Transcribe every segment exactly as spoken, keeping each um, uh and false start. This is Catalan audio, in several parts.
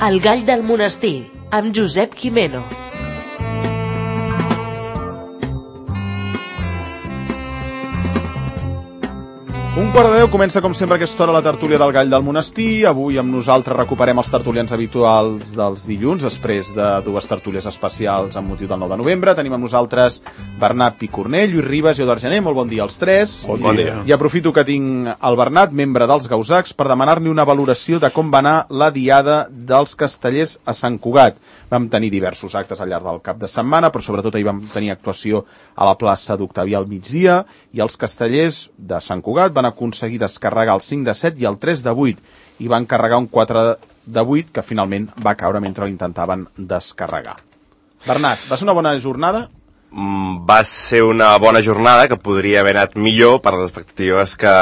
El gall del monestir, amb Josep Gimeno. Un quart de deu comença com sempre aquesta hora la tertúlia del Gall del Monestir. Avui amb nosaltres recuperem els tertulians habituals dels dilluns, després de dues tertúlies especials amb motiu del nou de novembre. Tenim amb nosaltres Bernat Picornell, Lluís Ribas i Eudard Gené. Molt bon dia als tres. Bon, bon dia. I aprofito que tinc el Bernat, membre dels Gausacs, per demanar-li una valoració de com va anar la diada dels castellers a Sant Cugat. Vam tenir diversos actes al llarg del cap de setmana, però sobretot ahir vam tenir actuació a la plaça d'Octavià al migdia, i els castellers de Sant Cugat van aconseguir descarregar el cinc de set i el tres de vuit, i van carregar un quatre de vuit que finalment va caure mentre l'intentaven descarregar. Bernat, va ser una bona jornada? Mm, va ser una bona jornada que podria haver anat millor per les expectatives que,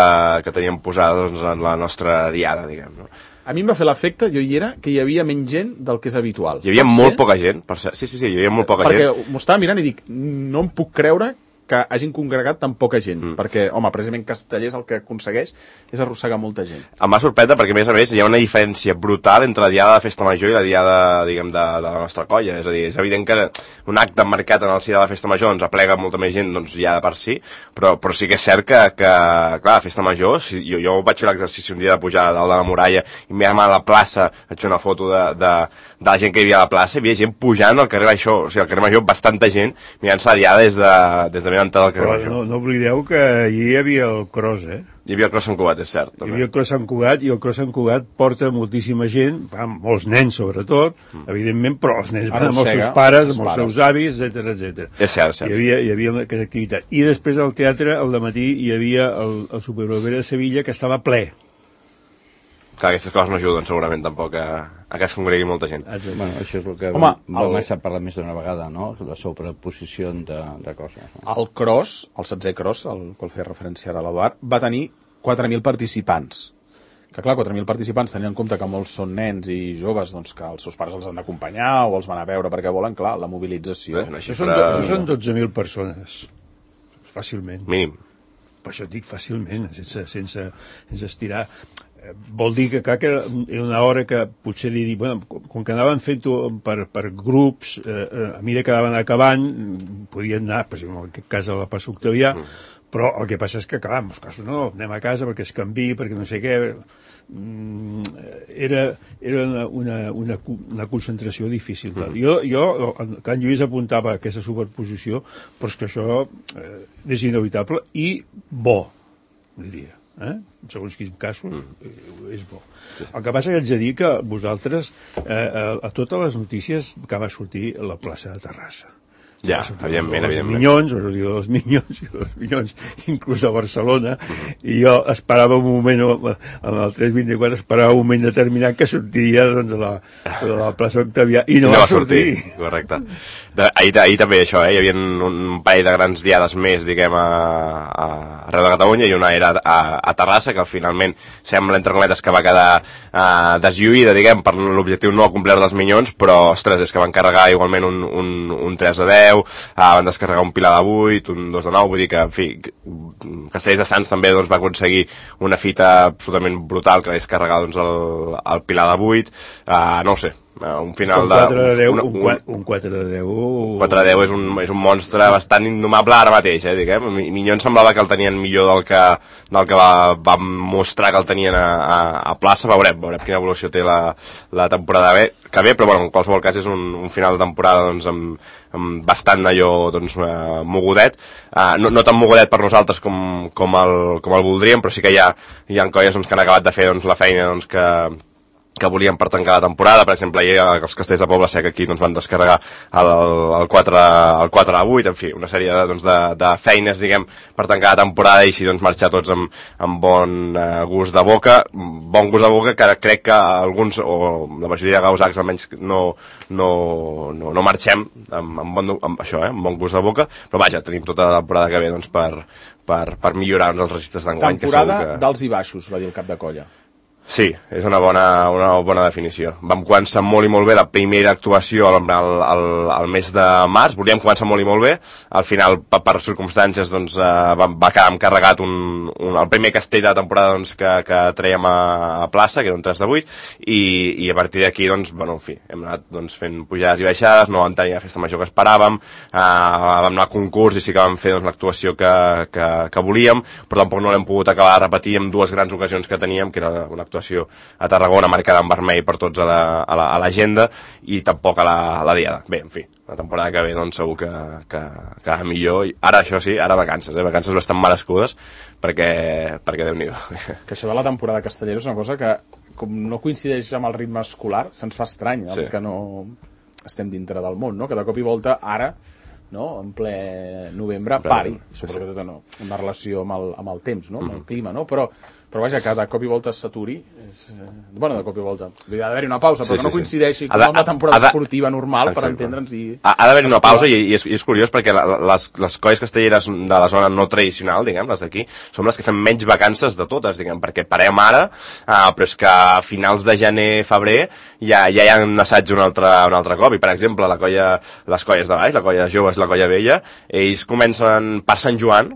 que teníem posades doncs, en la nostra diada, diguem, no? A mi em va fer l'efecte, jo hi era, que hi havia menys gent del que és habitual. Hi havia molt poca gent, per ser. Sí, sí, sí, hi havia molt poca Perquè gent. Perquè m'ho estava mirant i dic, no em puc creure que hagin congregat tan poca gent, mm. perquè, home, precisament Castellers el que aconsegueix és arrossegar molta gent. Em va sorprendre perquè, a més a més, hi ha una diferència brutal entre la diada de Festa Major i la diada, diguem, de, de la nostra colla. És a dir, és evident que un acte marcat en el si de la Festa Major ens aplega molta més gent, doncs ja de per si, però, però sí que és cert que, que clar, la Festa Major, si, jo, jo vaig fer l'exercici un dia de pujar dalt de la muralla i mirant a la plaça, vaig fer una foto de, de, de la gent que hi havia a la plaça, hi havia gent pujant al carrer Major, o sigui, al carrer Major bastanta gent mirant-se la diada des de, des de entrada al carrer Però Major. no, no oblideu que allí hi havia el Cros, eh? Hi havia el Cros Sant Cugat, és cert. També. Hi havia el Cros Sant Cugat, i el Cros Sant Cugat porta moltíssima gent, va, molts nens sobretot, mm. evidentment, però els nens van amb els seus pares, amb els seus avis, etcètera, etcètera. És cert, és cert. Hi havia, hi havia aquesta activitat. I després al teatre, al dematí, hi havia el, el Superbrovera de Sevilla, que estava ple. Clar, aquestes coses no ajuden segurament tampoc a, a que es congregui molta gent. Bueno, això és el que Home, vam el... estar parlant més d'una vegada, no? La sobreposició de, de coses. No? El Cros, el setzè Cros, al qual feia referència ara l'Eduard, va tenir quatre mil participants. Que clar, quatre mil participants, tenint en compte que molts són nens i joves, doncs que els seus pares els han d'acompanyar o els van a veure perquè volen, clar, la mobilització. Bé, Això són, do, això són dotze mil persones, fàcilment. Mínim. Per això et dic fàcilment, sense, sense, sense estirar. Vol dir que, clar, que era una hora que potser li dic, bueno, com que anaven fent-ho per, per grups, eh, a mesura que anaven acabant, podien anar, per exemple, en aquest cas a la plaça Octavià, mm. però el que passa és que, clar, en molts casos no, anem a casa perquè es canviï, perquè no sé què, mm, era, era una, una, una, una concentració difícil. Mm. Jo, jo, que en Lluís apuntava aquesta superposició, però és que això eh, és inevitable i bo, diria. Eh? En segons quins casos mm. és bo. El que passa que haig de dir que vosaltres eh, a, a totes les notícies que va sortir a la plaça de Terrassa, ja, evidentment, els evidentment. Minyons, els dels Minyons, i els Minyons, inclús a Barcelona, mm-hmm. i jo esperava un moment, en el tres vint-i-quatre, esperava un moment determinat que sortiria doncs, a, la, a la plaça Octavià, i no, no va sortir. sortir. Correcte. De, ahir, ahir també això, eh? Hi havia un parell de grans diades més, diguem, a, a arreu de Catalunya, i una era a, a Terrassa, que finalment sembla, entre cometes, que va quedar uh, deslluïda, diguem, per l'objectiu no complert dels Minyons, però, ostres, és que van carregar igualment un, un, un tres de deu, uh, van descarregar un pilar de vuit, un dos de nou, vull dir que, en fi, Castellers de Sants també doncs, va aconseguir una fita absolutament brutal, que és carregar doncs, el, el pilar de vuit, uh, no ho sé, un final un quatre de deu, de... Un, un, un quatre de deu... quatre de deu és un, és un monstre bastant indomable ara mateix, eh, diguem. Minyons semblava que el tenien millor del que, del que va, va mostrar que el tenien a, a, a plaça. Veurem, veurem quina evolució té la, la temporada bé, que bé, però bueno, en qualsevol cas és un, un final de temporada doncs, amb, amb bastant allò doncs, uh, mogudet, uh, no, no tan mogudet per nosaltres com, com, el, com el voldríem, però sí que hi ha, hi ha colles doncs, que han acabat de fer doncs, la feina doncs, que que volien per tancar la temporada. Per exemple, ahir els Castells de Poble Sec aquí doncs, van descarregar el, el, quatre, el quatre a vuit, en fi, una sèrie de, doncs, de, de feines, diguem, per tancar la temporada i així doncs, marxar tots amb, amb bon eh, gust de boca, bon gust de boca que crec que alguns, o la majoria de gausacs almenys, no, no, no, no marxem amb, amb, bon, amb això, eh, amb bon gust de boca, però vaja, tenim tota la temporada que ve doncs, per, per, per millorar els registres d'enguany. Temporada que... d'alts i baixos, va dir el cap de colla. Sí, és una bona, una bona definició. Vam començar molt i molt bé la primera actuació al, al, al mes de març, volíem començar molt i molt bé, al final, per, per circumstàncies, doncs, eh, va, va quedar encarregat un, un, el primer castell de la temporada doncs, que, que traiem a, a plaça, que era un tres de vuit, i, i a partir d'aquí, doncs, bueno, en fi, hem anat doncs, fent pujades i baixades, no vam tenir la festa major que esperàvem, eh, vam anar a concurs i sí que vam fer doncs, l'actuació que, que, que volíem, però tampoc no l'hem pogut acabar de repetir en dues grans ocasions que teníem, que era una actuació a Tarragona marcada en vermell per tots a l'agenda la, i tampoc a la, a la diada. Bé, en fi, la temporada que ve doncs segur que, que, que va millor. I ara això sí, ara vacances, eh? Vacances bastant merescudes perquè, perquè Déu-n'hi-do. Que això de la temporada castellera és una cosa que com no coincideix amb el ritme escolar se'ns fa estrany, els sí. que no estem dintre del món, no? Que de cop i volta ara, no? En ple novembre, pari, suposo que tot no, una relació amb el, amb el temps, no? Amb el clima, no? Però però vaja, que de cop i volta s'aturi és... bueno, de cop i volta ha d'haver-hi una pausa, però sí, que no sí, coincideixi sí. com amb una temporada de... esportiva normal. Exacte. Per entendre'ns i... Ha, ha d'haver-hi una pausa i, i, és, i és curiós perquè la, les, les colles castelleres de la zona no tradicional, diguem, les d'aquí, som les que fem menys vacances de totes, diguem, perquè parem ara, eh, però és que a finals de gener, febrer ja, ja hi ha un assaig un altre, un altre cop, i per exemple la colla, les colles de baix, la colla joves i la colla vella, ells comencen per Sant Joan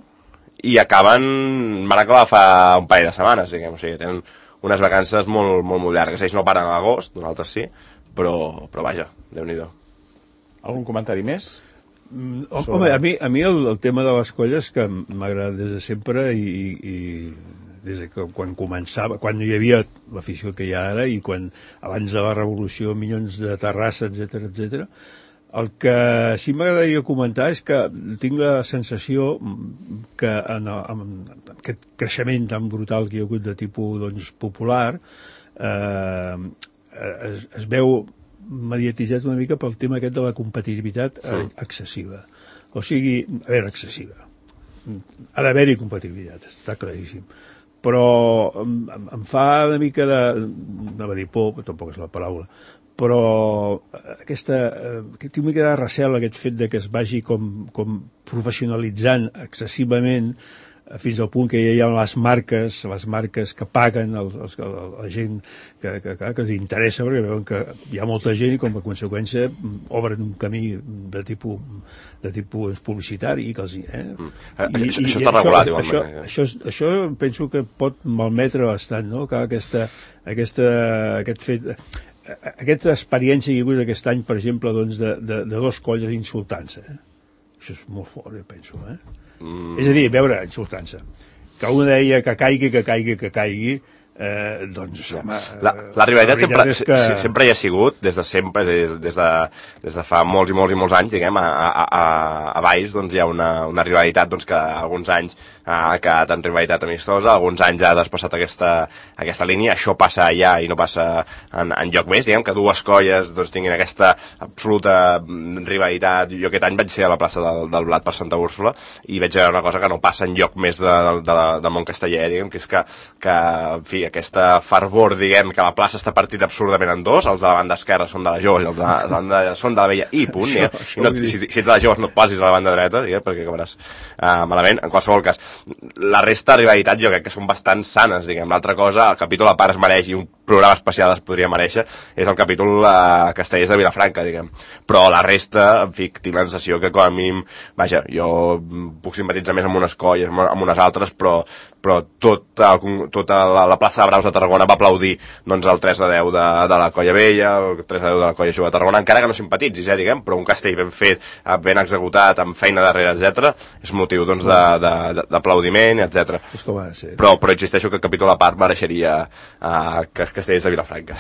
i acaben, van acabar fa un parell de setmanes, diguem, o sigui, tenen unes vacances molt, molt, molt llargues. Ells no paren a l'agost, nosaltres sí, però, però vaja, Déu-n'hi-do. Algun comentari més? Mm, home, a mi, a mi el, el tema de les colles que m'agrada des de sempre i, i des de que quan començava, quan no hi havia l'afició que hi ha ara i quan abans de la revolució, milions de Terrassa, etcètera, etcètera. El que sí m'agradaria comentar és que tinc la sensació que en, en aquest creixement tan brutal que hi ha hagut de tipus doncs, popular eh, es, es veu mediatitzat una mica pel tema aquest de la competitivitat sí. excessiva. O sigui, a veure, excessiva. Ha d'haver-hi competitivitat, està claríssim. Però em, em fa una mica de... no va dir por, però tampoc és la paraula, però aquesta, eh, tinc una mica de recel aquest fet de que es vagi com, com professionalitzant excessivament fins al punt que ja hi ha les marques, les marques que paguen els, els, la gent que, que, que, que els interessa, perquè veuen que hi ha molta gent i com a conseqüència obren un camí de tipus, de tipus publicitari i que els... Eh? Mm. I, això, i, això està regulat, igualment. Això, això, això, això penso que pot malmetre bastant, no? Que aquesta, aquesta, aquest fet... Aquesta experiència que hi ha hagut aquest any, per exemple, doncs, de, de, de dos colles insultant-se. Eh? Això és molt fort, jo penso. Eh? Mm. És a dir, veure, insultant-se. Que un deia que caigui, que caigui, que caigui, eh, doncs, home... La, la rivalitat la sempre, que... sempre hi ha sigut, des de sempre, des, des, de, des de fa molts i molts i molts anys, diguem, a, a, a, a Valls doncs, hi ha una, una rivalitat doncs, que alguns anys ha quedat en rivalitat amistosa, alguns anys ha despassat aquesta, aquesta línia, això passa allà i no passa en, en lloc més, diguem, que dues colles doncs, tinguin aquesta absoluta rivalitat. Jo aquest any vaig ser a la plaça del, del Blat per Santa Úrsula i veig una cosa que no passa en lloc més de, de, de, del món casteller, diguem, que és que, que en fi, aquesta fervor, diguem, que la plaça està partida absurdament en dos, els de la banda esquerra són de la joves i els de la banda són de la vella i punt, això, ja. I no, si, si ets de la joves no et posis a la banda dreta, diguem, perquè acabaràs uh, malament. En qualsevol cas, la resta de rivalitats jo crec que són bastant sanes, diguem. L'altra cosa, el capítol a part es mereix i un programa especial es podria mereixer, és el capítol uh, Castellers de Vilafranca, diguem. Però la resta, en fi, tinc la sensació que com a mínim, vaja, jo puc simpatitzar més amb unes colles, amb unes altres, però, però tot el, tota la, la plaça de Braus de Tarragona va aplaudir doncs, el tres de deu de, de la Colla Vella, el tres de deu de la Colla Jove de Tarragona, encara que no simpatitzis, eh, diguem, però un castell ben fet, ben executat, amb feina darrere, etcètera, és motiu doncs, d'aplaudiment, etcètera. Però, però insisteixo que el capítol a part mereixeria uh, que Castellers de Vilafranca.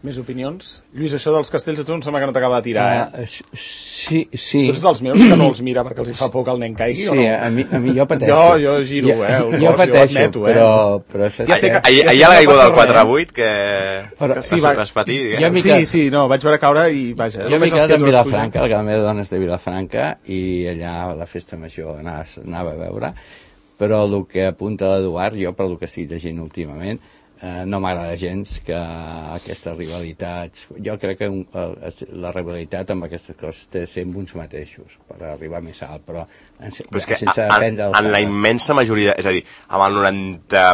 Més opinions? Lluís, això dels castells de tu em sembla que no t'acaba de tirar, eh? Uh, sí, sí. Tu ets dels meus que no els mira perquè els hi fa por que el nen caigui, sí, o no? Sí, a mi, a mi jo pateixo. Jo, jo giro, eh? El jo, jo pateixo, jo admeto, però... eh? però això ja sé que, ahir, ahir hi ha la caiguda del quatre a vuit que, però, que sí, va, vas patir, diguem. Sí, sí, no, vaig veure caure i vaja. Jo m'he quedat en Vilafranca, la meva dona és de Vilafranca i allà a la festa major anava, anava a veure, però el que apunta l'Eduard, jo per el que estic llegint últimament, Eh, no m'agrada gens que aquestes rivalitats... Jo crec que un, eh, la rivalitat amb aquestes coses té de ser amb uns mateixos per arribar més alt, però, en, però és que sense en, aprendre... En la immensa majoria, és a dir, amb el noranta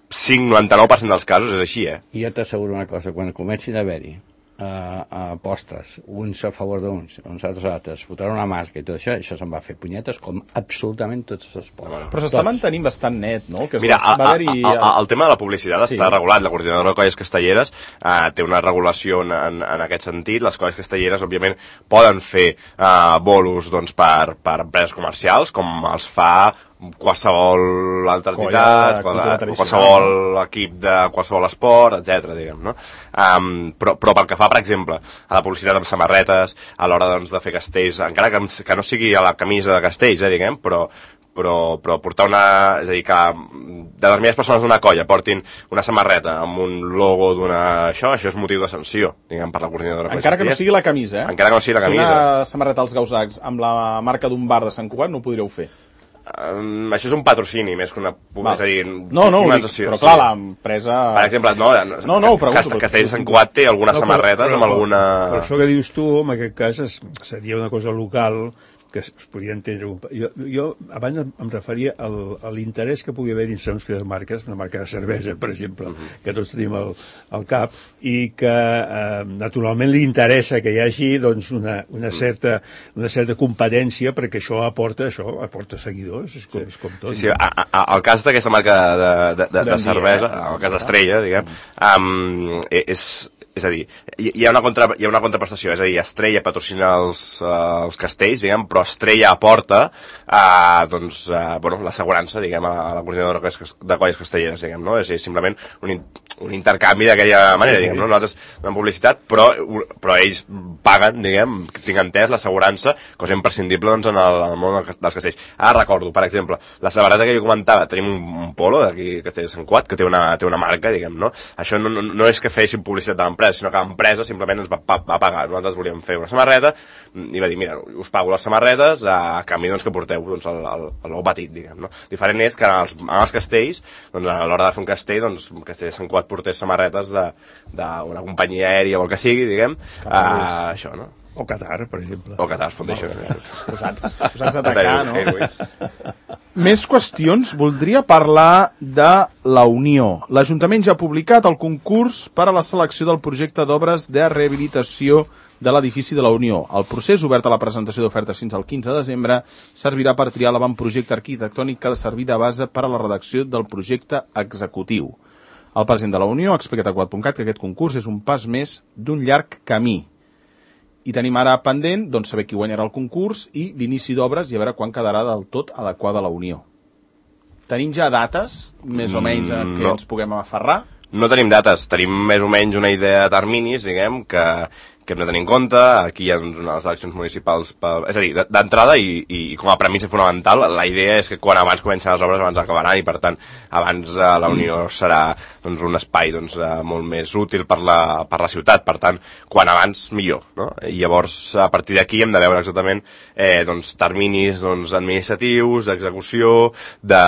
cinc noranta-nou per cent dels casos és així, eh? I jo t'asseguro una cosa, quan comencin a haver-hi uh, apostes, uns a favor d'uns, uns altres altres, fotran una marca i tot això, això se'n va fer punyetes com absolutament tots els esports. Però s'està mantenint bastant net, no? Que Mira, va, va a, a, a, el tema de la publicitat sí. està regulat. La Coordinadora de Colles Castelleres uh, té una regulació en, en, en aquest sentit. Les colles castelleres, òbviament, poden fer uh, bolos doncs, per, per empreses comercials, com els fa qualsevol altra entitat, qualsevol equip de qualsevol esport, etcètera, diguem, no? Um, però, però pel que fa, per exemple, a la publicitat amb samarretes, a l'hora doncs, de fer castells, encara que, que no sigui a la camisa de castells, eh, diguem, però, però, però portar una... És a dir, que determinades persones d'una colla portin una samarreta amb un logo d'una... Això, això és motiu de sanció, diguem, per la coordinadora. Encara que no sigui la camisa, eh? Encara que no sigui la camisa. Si una samarreta als Gausacs amb la marca d'un bar de Sant Cugat no ho podríeu fer. Um, això és un patrocini més que una... Va. És a dir, no, no, dic, però clar, l'empresa... Per exemple, no, no, no pregunto, Castells de Sant Cugat té algunes no, però, samarretes però, amb alguna... Però això que dius tu, en aquest cas, es, seria una cosa local que es podia entendre. Jo, jo abans em referia al, a l'interès que pugui haver en segons quines marques, una marca de cervesa, per exemple, uh-huh. que tots tenim al, al cap, i que eh, naturalment li interessa que hi hagi doncs, una, una, certa, una certa competència, perquè això aporta, això aporta seguidors, és com, és com tot. Sí, sí, a, a, el cas d'aquesta marca de, de, de, de cervesa, dia, eh? el cas d'Estrella, diguem, um, és... És a dir, hi ha una, contra, hi ha una contraprestació, és a dir, Estrella patrocina els, uh, els castells, diguem, però Estrella aporta uh, doncs, uh, bueno, l'assegurança, diguem, a la, a la coordinadora de colles castelleres, diguem, no? És, és simplement un, un intercanvi d'aquella manera, diguem, no? Nosaltres donem publicitat, però, però ells paguen, diguem, tinc entès, l'assegurança, cosa imprescindible doncs, en, el, en el món dels castells. Ara recordo, per exemple, la samarreta que jo comentava, tenim un, un polo d'aquí, Castells de Sant Cugat, que té una, té una marca, diguem, no? Això no, no, no és que féssim publicitat de l'empresa, sinó que l'empresa simplement ens va, va, va pagar. Nosaltres volíem fer una samarreta i va dir, mira, us pago les samarretes a canvi doncs, que porteu doncs, el, el, el l'ou batit, diguem, no? Diferent és que en els, en els castells, doncs, a l'hora de fer un castell, doncs, un castell de Sant Cugat portés samarretes d'una companyia aèria o el que sigui, diguem, a, això, no? O Qatar, per exemple. O Qatar Foundation. Posats, posats a atacar, no? Més qüestions. Voldria parlar de la Unió. L'Ajuntament ja ha publicat el concurs per a la selecció del projecte d'obres de rehabilitació de l'edifici de la Unió. El procés, obert a la presentació d'ofertes fins al quinze de desembre, servirà per triar l'avantprojecte arquitectònic que ha de servir de base per a la redacció del projecte executiu. El president de la Unió ha explicat a quat punt cat que aquest concurs és un pas més d'un llarg camí. I tenim ara pendent doncs, saber qui guanyarà el concurs i l'inici d'obres i a veure quan quedarà del tot adequada la Unió. Tenim ja dates, més o menys, en què no. ens puguem aferrar? No tenim dates, tenim més o menys una idea de terminis, diguem, que, que hem de tenir en compte. Aquí hi ha doncs, unes eleccions municipals, per, és a dir, d'entrada i, i com a premissa fonamental, la idea és que quan abans comencen les obres abans acabaran i per tant abans eh, la Unió serà doncs, un espai doncs, eh, molt més útil per la, per la ciutat, per tant quan abans millor, no? I llavors a partir d'aquí hem de veure exactament eh, doncs, terminis doncs, administratius, d'execució, de,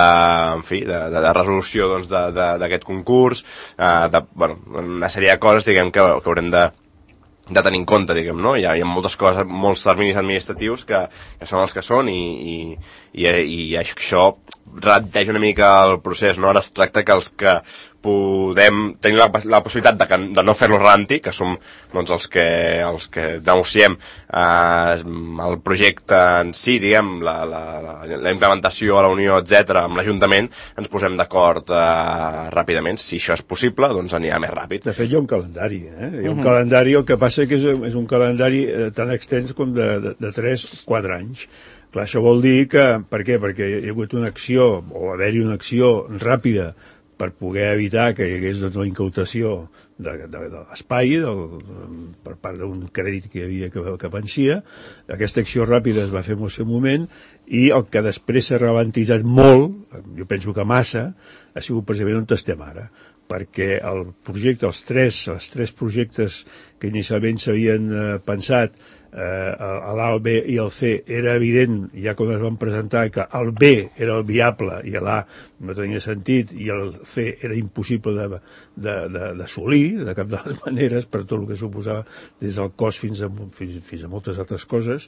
en fi, de, de, de resolució doncs, d'aquest concurs, eh, de, bueno, una sèrie de coses diguem, que, que haurem de de tenir en compte, diguem, no? Hi ha, hi ha moltes coses, molts terminis administratius que, que són els que són i, i, i, i això ralenteix una mica el procés, no? Ara es tracta que els que podem tenir la, la possibilitat de, que, de no fer-lo ralentir, que som doncs, els, que, els que negociem eh, el projecte en si, diguem, la, la, la, la implementació a la Unió, etcètera, amb l'Ajuntament, ens posem d'acord eh, ràpidament. Si això és possible, doncs anirà més ràpid. De fet, hi ha un calendari, eh? Hi ha un uh-huh. calendari, el que passa que és, és un calendari eh, tan extens com de, de, de tres a quatre anys. Clar, això vol dir que... Per què? Perquè hi ha hagut una acció, o haver-hi una acció ràpida per poder evitar que hi hagués doncs, la incautació de, de, de l'espai per part d'un crèdit que hi havia que, que vencia. Aquesta acció ràpida es va fer en el seu moment i el que després s'ha ralentitzat molt, jo penso que massa, ha sigut precisament on estem ara, perquè el projecte, els tres, els tres projectes que inicialment s'havien eh, pensat eh, a l'A, el B i el C, era evident, ja quan es van presentar, que el B era el viable i l'A no tenia sentit i el C era impossible de, de, de, d'assolir, de cap de les maneres, per tot el que suposava des del cost fins a, fins, fins a moltes altres coses.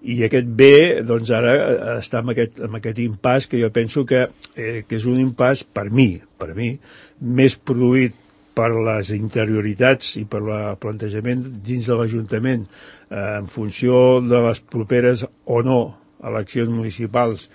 I aquest B, doncs ara està en aquest, en aquest impàs que jo penso que, eh, que és un impàs, per mi, per mi, més produït per les interioritats i per el plantejament dins de l'Ajuntament eh, en funció de les properes o no eleccions municipals,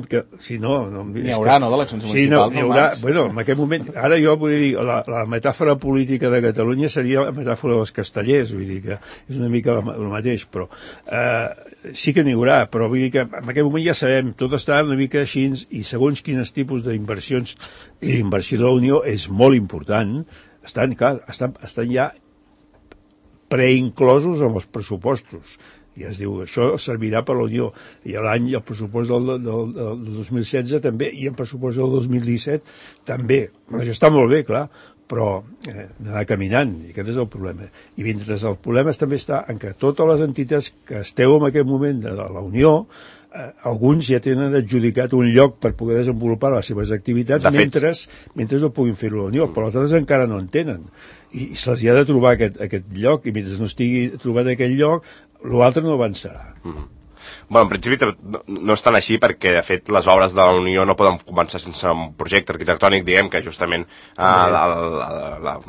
que si no... no n'hi haurà, que, no, d'eleccions sí, municipals? No, n'hi haurà, bueno, en aquest moment, ara jo vull dir, la, la metàfora política de Catalunya seria la metàfora dels castellers, vull dir que és una mica el mateix, però eh, sí que n'hi haurà, però vull dir que en aquest moment ja sabem, tot està una mica així, i segons quins tipus d'inversions, i l'inversió de la Unió és molt important, estan, clar, estan, estan ja preinclosos amb els pressupostos. I es diu, això servirà per la Unió. I l'any, el pressupost del, del, del dos mil setze també, i el pressupost del dos mil disset també. Això està molt bé, clar, però eh, anar caminant, i aquest és el problema. I mentre el problema també està en que totes les entitats que esteu en aquest moment de la Unió, eh, alguns ja tenen adjudicat un lloc per poder desenvolupar les seves activitats de mentre, mentre no puguin fer-ho a la Unió, mm. però els altres encara no en tenen. I, i se'ls ha de trobar aquest, aquest lloc, i mentre no estigui trobat aquest lloc, l'altre no avançarà. Mm-hmm. Bueno, en principi no, no és tan així perquè, de fet, les obres de la Unió no poden començar sense un projecte arquitectònic, diguem que justament l'altre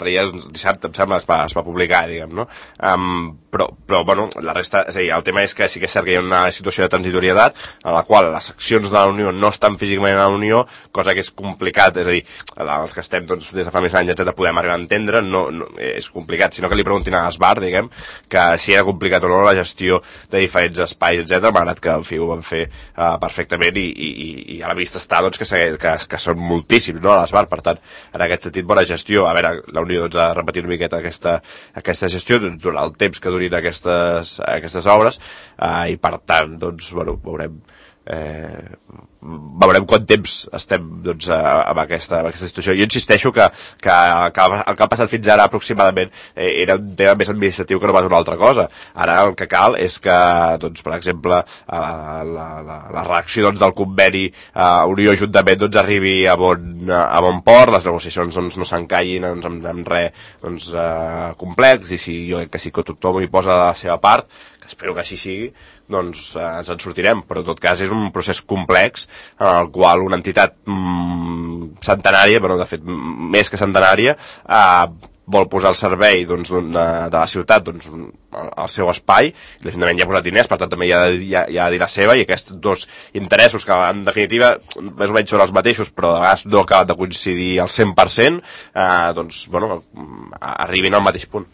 dia, dissabte, em sembla, es va, es va publicar, diguem, no? Um, però, però, bueno, la resta, és a dir, el tema és que sí que és cert que hi ha una situació de transitorietat en la qual les seccions de la Unió no estan físicament a la Unió, cosa que és complicat, és a dir, els que estem doncs, des de fa més anys, etcètera, podem arribar a entendre, no, no, és complicat, sinó que li preguntin a l'Esbar, diguem, que si era complicat o no la gestió de diferents espais, etcètera. M'ha agrat que el F I U ho van fer uh, perfectament i, i, i a la vista està doncs, que, que, que són moltíssims, no, a l'Esbar. Per tant, en aquest sentit, bona gestió. A veure, la Unió doncs, ha de repetir una miqueta aquesta, aquesta gestió durant el temps que durin aquestes, aquestes obres uh, i per tant, doncs, bueno, veurem eh, veurem quant temps estem doncs, amb, aquesta, amb aquesta situació. Jo insisteixo que, que, que el que ha passat fins ara aproximadament eh, era un tema més administratiu que no pas una altra cosa. Ara el que cal és que, doncs, per exemple, la, la, la, la reacció doncs, del conveni eh, Unió-Ajuntament doncs, arribi a bon, a bon port, les negociacions doncs, no s'encallin doncs, amb, amb res doncs, eh, complex, i si jo crec que sí que tothom hi posa la seva part, que espero que així sigui, doncs eh, ens en sortirem, però en tot cas és un procés complex en el qual una entitat mm, centenària, bueno, de fet més que centenària, eh, vol posar al servei doncs, de, de la ciutat doncs, el seu espai, l'Ajuntament ja ha posat diners, per tant també hi ha, hi ha, hi ha de dir la seva, i aquests dos interessos que en definitiva més o menys són els mateixos, però de vegades no acaben de coincidir al cent per cent, eh, doncs bueno, arribin al mateix punt.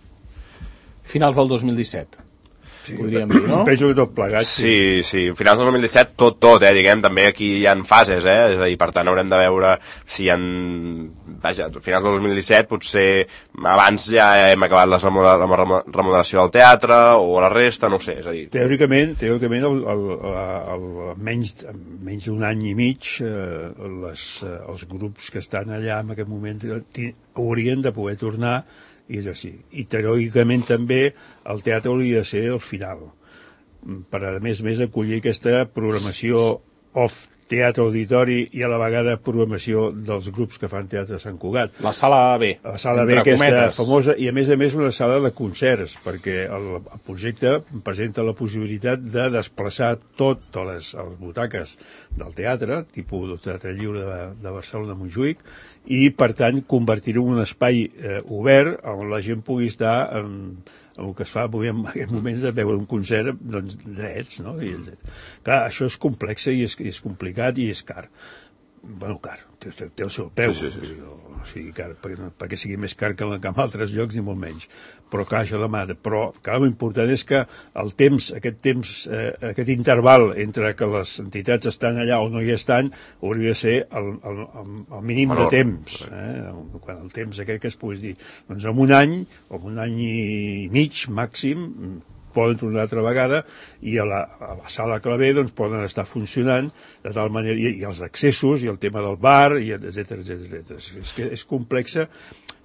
Finals del dos mil disset. Sí, podríem dir, no? Penso que tot plegat, sí. Sí, sí, finals del dos mil disset tot, tot, eh, diguem, també aquí hi ha fases, eh, és a dir, per tant haurem de veure si hi ha, vaja, finals del dos mil disset potser abans ja hem acabat la remodelació del teatre o la resta, no ho sé, és a dir... Teòricament, teòricament el, el, el, el menys, menys d'un any i mig eh, les, els grups que estan allà en aquest moment haurien de poder tornar. I és així. I teòricament també el teatre hauria de ser el final, per a més més acollir aquesta programació off teatre auditori i a la vegada programació dels grups que fan teatre a Sant Cugat. La sala B. La sala B, aquesta famosa, i a més a més una sala de concerts, perquè el, el projecte presenta la possibilitat de desplaçar totes les, les butaques del teatre, tipus del Teatre Lliure de, de Barcelona-Montjuïc, i per tant convertir-ho en un espai eh, obert on la gent pugui estar en, en el que es fa avui en aquests moments de veure un concert doncs, drets, no? I, clar, això és complex i és, és complicat i és car. Bueno, car, té, té el seu peu, sí, sí, sí. O sigui, car, perquè, perquè sigui més car que en altres llocs ni molt menys, però clar, això demana, però clar, l'important és que el temps, aquest temps, eh, aquest interval entre que les entitats estan allà o no hi estan, hauria de ser el, el, el mínim Menor. de temps, eh? Quan el temps aquest que es pugui dir, doncs en un any, o en un any i mig màxim, poden tornar altra vegada, i a la, a la sala clavé doncs, poden estar funcionant de tal manera, i, i els accessos, i el tema del bar, i etcètera, etcètera. És que és complexa.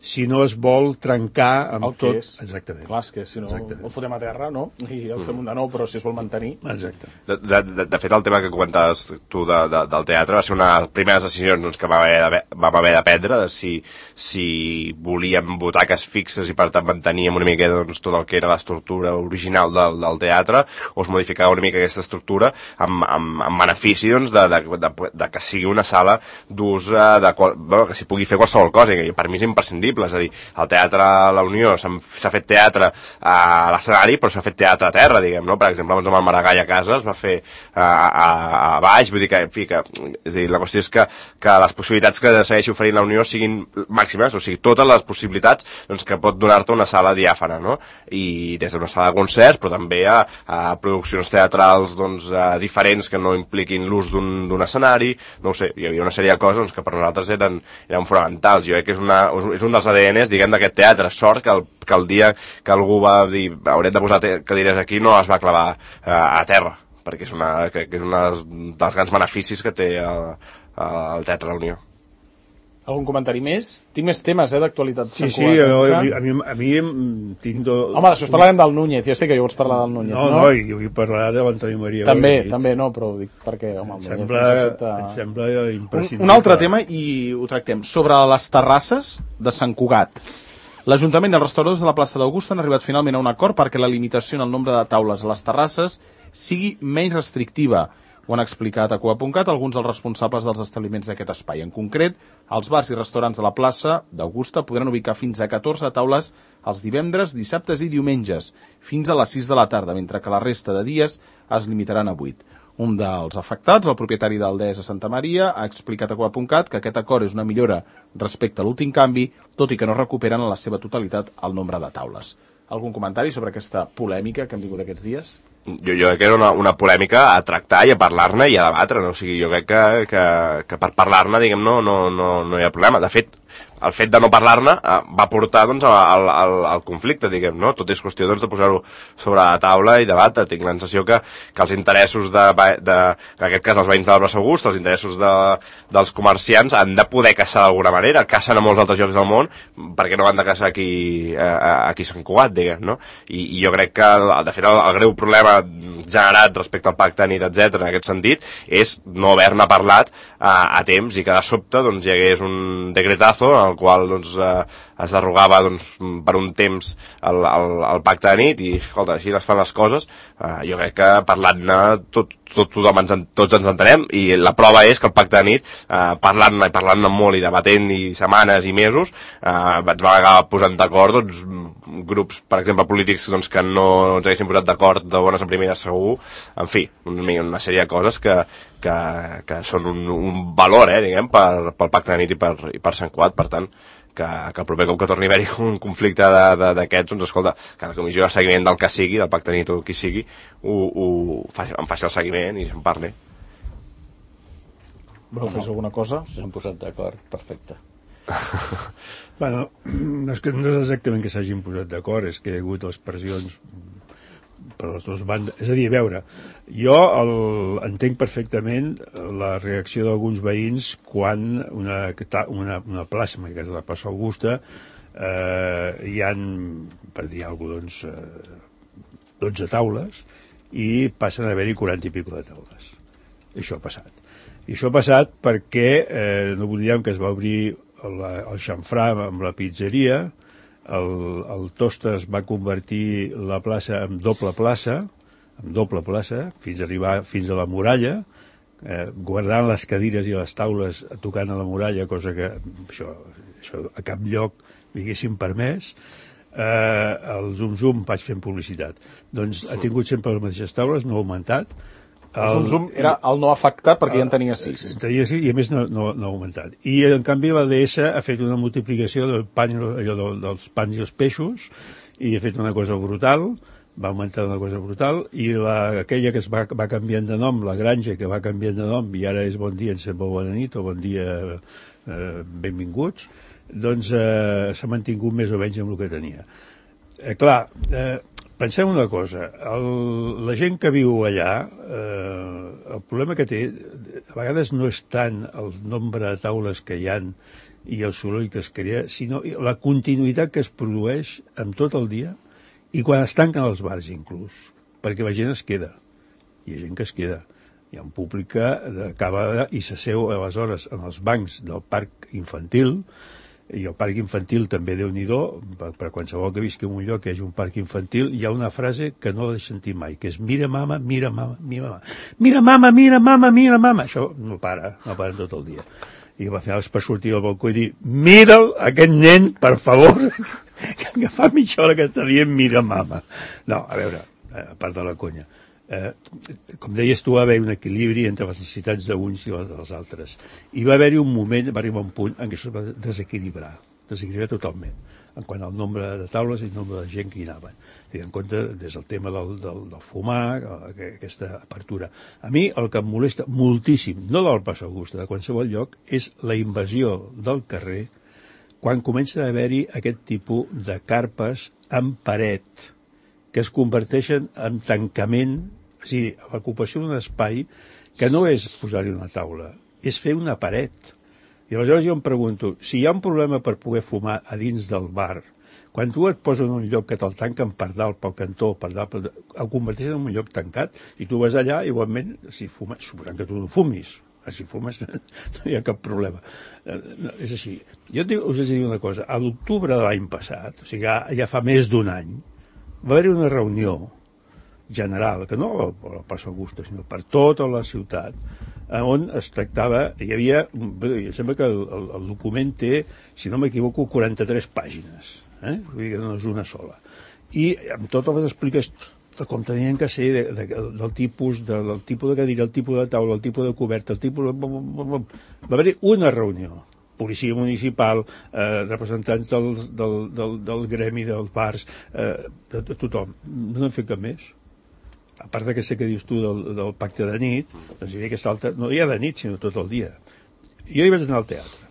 si no es vol trencar amb el que tot... és. Exactament. Clar, és que si no Exactament. el fotem a terra, no? I el fem un de nou, però si es vol mantenir... Exacte. De, de, de, de fet, el tema que comentaves tu de, de, del teatre va ser una de les primeres decisions doncs, que vam haver, de, vam haver de prendre, de si, si volíem butaques fixes i per tant manteníem una mica doncs, tot el que era l'estructura original del, del teatre, o es modificava una mica aquesta estructura amb, amb, amb benefici doncs, de, de, de, de que sigui una sala d'ús, de, bueno, que s'hi pugui fer qualsevol cosa, que per mi és imprescindible. És a dir, el Teatre La Unió s'ha fet teatre a l'escenari, però s'ha fet teatre a terra, diguem, no? Per exemple, amb el Maragall a casa es va fer a, a, a baix, vull dir que, en fi, que és a dir, la qüestió és que, que les possibilitats que segueixi oferint la Unió siguin màximes, o sigui, totes les possibilitats doncs, que pot donar-te una sala diàfana, no? I des d'una sala de concerts, però també a, a produccions teatrals doncs, diferents que no impliquin l'ús d'un escenari, no ho sé, hi havia una sèrie de coses doncs, que per nosaltres eren, eren fonamentals. Jo crec que és, una, és un dels A D Ns, diguem, d'aquest teatre. Sort que el, que el dia que algú va dir haurem de posar cadires aquí no es va clavar eh, a terra, perquè és una, crec que és un dels grans beneficis que té el, el Teatre La Unió. Algun comentari més? Tinc més temes, eh, d'actualitat. Sí, sí, jo, a, mi, a, mi, a mi tinc... Do... Home, després parlarem del Núñez, jo sé que jo vols parlar del Núñez, no? No, no, jo vull parlar de l'Antoni Maria. També, també, no, però ho dic perquè, home, el sembla, Núñez efecte... em sembla imprescindible. Un, un altre tema, i ho tractem, sobre les terrasses de Sant Cugat. L'Ajuntament i els restauradors de la plaça d'Augusta han arribat finalment a un acord perquè la limitació en el nombre de taules a les terrasses sigui menys restrictiva. Ho han explicat a Coa punt cat alguns dels responsables dels establiments d'aquest espai. En concret, els bars i restaurants de la plaça d'Augusta podran ubicar fins a catorze taules els divendres, dissabtes i diumenges, fins a les sis de la tarda, mentre que la resta de dies es limitaran a vuit. Un dels afectats, el propietari d'Aldés a Santa Maria, ha explicat a Coa punt cat que aquest acord és una millora respecte a l'últim canvi, tot i que no recuperen en la seva totalitat el nombre de taules. Algun comentari sobre aquesta polèmica que hem tingut aquests dies? Jo, jo crec que era una, una polèmica a tractar i a parlar-ne i a debatre, no? O sigui, jo crec que, que, que per parlar-ne, diguem, no, no, no, no hi ha problema. De fet, el fet de no parlar-ne eh, va portar doncs, al, al, al conflicte, diguem, no? Tot és qüestió doncs, de posar-ho sobre la taula i debatre. Tinc la sensació que, que els interessos, de, de, en aquest cas els veïns de l'Arbre August, els interessos de, dels comerciants han de poder caçar d'alguna manera. Cacen a molts altres llocs del món, perquè no han de caçar aquí, eh, aquí a Sant Cugat, diguem, no? I, i jo crec que, de fet, el, el greu problema generat respecte al pacte de nit, etcètera, en aquest sentit, és no haver-ne parlat eh, a temps i que de sobte doncs, hi hagués un decretazo en el qual doncs, eh, es derogava doncs, per un temps el, el, el pacte de nit i, escolta, així es fan les coses. Eh, jo crec que parlant-ne tot, tot, tothom ens, tots ens entenem i la prova és que el pacte de nit, eh, parlant-ne i parlant-ne molt i debatent i setmanes i mesos, eh, ens va acabar posant d'acord doncs, grups, per exemple, polítics doncs, que no ens haguessin posat d'acord de bones a primeres segur, en fi, una, una sèrie de coses que, que, que són un, un valor, eh, diguem, per, pel pacte de nit i per, i per Sant Cugat, per tant, que, que el proper cop que torni a haver-hi un conflicte d'aquests, doncs escolta, que la comissió de seguiment del que sigui, del pacte de nit o qui sigui, ho, ho faci, em faci el seguiment i se'n parli. Voleu fer alguna cosa? S'han posat d'acord, perfecte. Bueno, és que no és exactament que s'hagin posat d'acord, és que hi ha hagut les pressions per les dues bandes. És a dir, a veure, jo el, entenc perfectament la reacció d'alguns veïns quan una, una, una plaça, que és la plaça Augusta, eh, hi ha, per dir alguna cosa, doncs, eh, dotze taules i passen a haver-hi quaranta i pico de taules. Això ha passat. I això ha passat perquè eh, no oblidem que es va obrir el, el xamfrà amb la pizzeria, el, el Tostes va convertir la plaça en doble plaça, en doble plaça, fins a arribar fins a la muralla, eh, guardant les cadires i les taules tocant a la muralla, cosa que això, això a cap lloc li haguessin permès. Eh, el Zum Zum vaig fent publicitat. Doncs ha tingut sempre les mateixes taules, no ha augmentat. El Zum Zum era el no afectat perquè ja en tenia sis. Tenia sis i a més no, no, no ha augmentat. I en canvi la D S ha fet una multiplicació del pan, allò dels pans i els peixos i ha fet una cosa brutal, va augmentar una cosa brutal, i la, aquella que es va, va canviant de nom, la granja que va canviant de nom i ara és bon dia, ens sembla bona nit o bon dia, eh, benvinguts, doncs eh, s'ha mantingut més o menys amb el que tenia. Eh, clar, eh, pensem una cosa, el, la gent que viu allà, eh, el problema que té, a vegades no és tant el nombre de taules que hi han i el soroll que es crea, sinó la continuïtat que es produeix amb tot el dia i quan es tanquen els bars inclús, perquè la gent es queda. Hi ha gent que es queda. Hi ha un públic que acaba i s'asseu aleshores en els bancs del parc infantil, i el parc infantil també, Déu-n'hi-do, per, per qualsevol que visqui en un lloc que hi hagi un parc infantil, hi ha una frase que no l'he sentit mai, que és mira mama, mira mama, mira mama. Mira mama, mira mama, mira mama. Això no para, no para tot el dia. I al final és per sortir al balcó i dir mira'l, aquest nen, per favor, que fa mitja hora que està dient mira mama. No, a veure, a part de la conya. Eh, com deies tu, va haver un equilibri entre les necessitats d'uns i les dels altres. I va haver-hi un moment, va arribar un punt en què això es va desequilibrar, desequilibrar totalment, en quant al nombre de taules i el nombre de gent que hi anaven. Tenint en compte des del tema del, del, del fumar, aquesta apertura. A mi el que em molesta moltíssim, no del Pas Augusta, de qualsevol lloc, és la invasió del carrer quan comença a haver-hi aquest tipus de carpes amb paret, que es converteixen en tancament, és a dir, l'ocupació d'un espai que no és posar-hi una taula, és fer una paret. I aleshores jo em pregunto, si hi ha un problema per poder fumar a dins del bar, quan tu et poses en un lloc que te'l tanquen per dalt, pel cantó, per dalt, per... el converteixen en un lloc tancat, i tu vas allà, igualment, si fumes, suposant que tu no fumis, si fumes no hi ha cap problema. No, és així. Jo us he de dir una cosa, a l'octubre de l'any passat, o sigui, ja, ja fa més d'un any, va haver-hi una reunió general, que no al Pas Augusta, sinó per tota la ciutat, on es tractava, hi havia, em sembla que el, el, el document té, si no m'equivoco, quaranta-tres pàgines, eh? Vull dir que no és una sola. I amb totes les explicacions de com tenien que ser, de, de, del, tipus, de, del tipus de cadira, el tipus de taula, el tipus de coberta, el tipus de... Va haver-hi una reunió. Policia municipal, eh, representants del, del, del, del gremi, dels bars, eh, de, de tothom. No n'han fet cap més. A part d'aquesta que dius tu del, del pacte de nit, doncs hi havia aquesta altra... No hi ha de nit, sinó tot el dia. Jo hi vaig anar al teatre,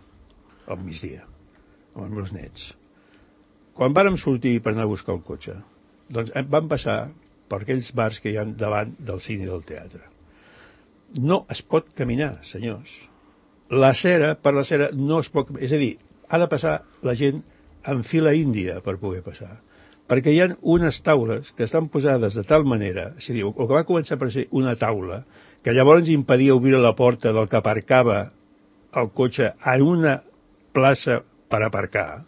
al migdia, amb els meus nets. Quan vàrem sortir per anar a buscar el cotxe, doncs vam passar per aquells bars que hi ha davant del cine i del teatre. No es pot caminar, senyors. La cera, per la cera, no es pot... És a dir, ha de passar la gent en fila índia per poder passar. Perquè hi ha unes taules que estan posades de tal manera, és a dir, el que va començar per ser una taula, que llavors impedia obrir la porta del que aparcava el cotxe en una plaça per aparcar,